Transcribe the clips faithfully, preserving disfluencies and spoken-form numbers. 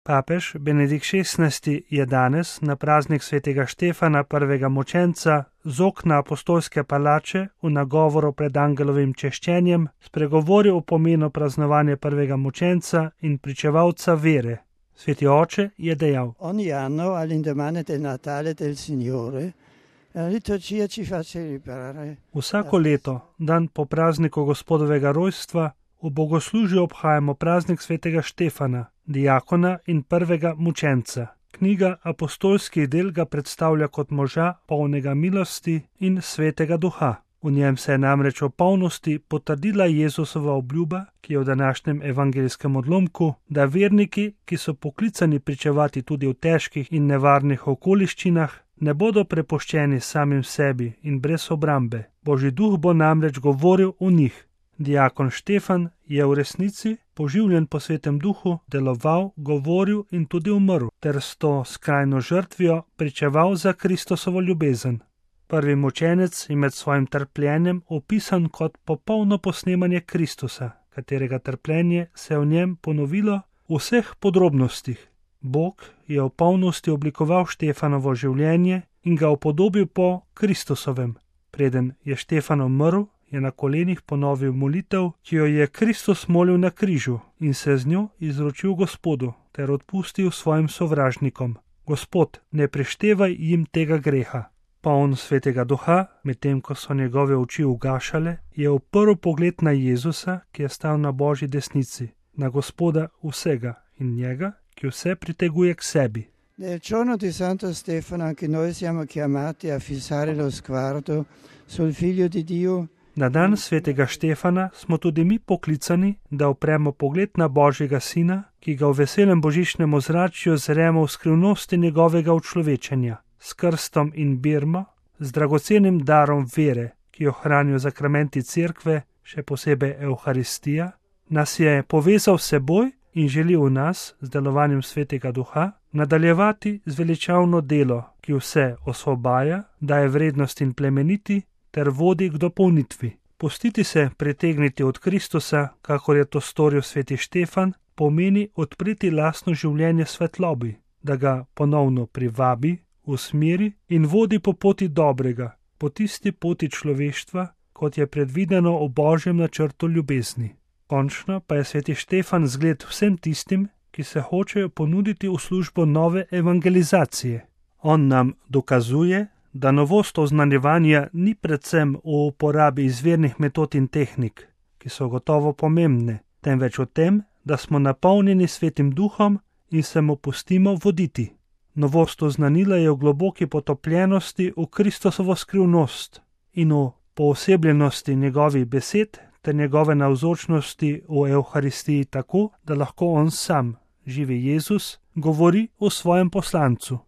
Papež Benedikt šestnajsti je danes na praznik svetega Štefana, prvega mučenca, z okna apostolske palače v nagovoru pred angelovim češčenjem spregovoril o pomenu praznovanja prvega mučenca in pričevalca vere. Sveti oče je dejal: Ogni anno all'indomani del Natale del Signore la liturgia ci fa celebrare. Vsako leto, dan po prazniku Gospodovega rojstva, v bogoslužju obhajamo praznik svetega Štefana, diakona in prvega mučenca. Knjiga apostolskih del ga predstavlja kot moža polnega milosti in svetega duha. V njem se je namreč v polnosti potrdila Jezusova obljuba, ki je v današnjem evangelijskem odlomku, da verniki, ki so poklicani pričevati tudi v težkih in nevarnih okoliščinah, ne bodo prepuščeni samim sebi in brez obrambe. Božji duh bo namreč govoril v njih. Diakon Štefan je v resnici, poživljen po svetem duhu, deloval, govoril in tudi umrl, ter s to skrajno žrtvijo pričeval za Kristosovo ljubezen. Prvi mučenec je med svojim trpljenjem opisan kot popolno posnemanje Kristusa, katerega trpljenje se je v njem ponovilo v vseh podrobnostih. Bog je v polnosti oblikoval Štefanovo življenje in ga upodobil po Kristusovem. Preden je Štefan umrl, je na kolenih ponovil molitev, ki jo je Kristus molil na križu, in se z njo izročil Gospodu ter odpustil svojim sovražnikom: Gospod, ne preštevaj jim tega greha. Poln svetega duha, medtem ko so njegove oči ugašale, je uprl pogled na Jezusa, ki je stal na Božji desnici, na Gospoda vsega in njega, ki vse priteguje k sebi. Nel giorno di Santo Stefano anche noi siamo chiamati a fissare lo sguardo sul Figlio di Dio. Na dan svetega Štefana smo tudi mi poklicani, da upremo pogled na Božjega Sina, ki ga v veselem božičnem ozračju zremo v skrivnosti njegovega učlovečenja. S krstom in birmo, z dragocenim darom vere, ki jo hranijo zakramenti cerkve, še posebej Evharistija, nas je povezal s seboj in želi v nas, z delovanjem svetega duha, nadaljevati z veličavno delo, ki vse osvobaja, daje vrednost in plemeniti, ter vodi k dopolnitvi. Pustiti se pritegniti od Kristusa, kakor je to storil sveti Štefan, pomeni odpreti lastno življenje svetlobi, da ga ponovno privabi, usmeri in vodi po poti dobrega, po tisti poti človeštva, kot je predvideno v Božjem načrtu ljubezni. Končno pa je sveti Štefan zgled vsem tistim, ki se hočejo ponuditi v službo nove evangelizacije. On nam dokazuje, da novost oznanjevanja ni predvsem v uporabi izvirnih metod in tehnik, ki so gotovo pomembne, temveč v tem, da smo napolnjeni svetim duhom in se mu pustimo voditi. Novost oznanila je v globoki potopljenosti v Kristosovo skrivnost in v poosebljenosti njegovih besed ter njegove navzočnosti v Evharistiji tako, da lahko on sam, živi Jezus, govori o svojem poslancu.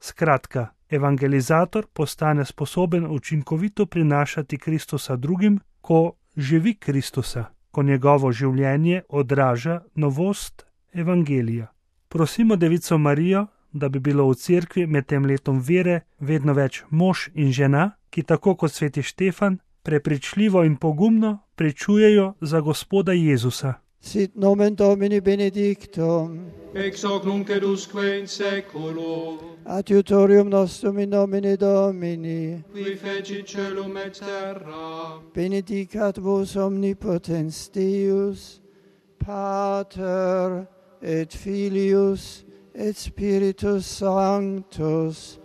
Skratka, evangelizator postane sposoben učinkovito prinašati Kristusa drugim, ko živi Kristusa, ko njegovo življenje odraža novost evangelija. Prosimo Devico Marijo, da bi bilo v cerkvi med tem letom vere vedno več mož in žena, ki tako kot sveti Štefan prepričljivo in pogumno pričujejo za Gospoda Jezusa. Sit nomen Domini benedictum, ex hoc nunc et usque in seculo, adiutorium nostrum in nomine Domini, qui fecit caelum et terra, benedicat vos omnipotens Deus, Pater et Filius et Spiritus Sanctus,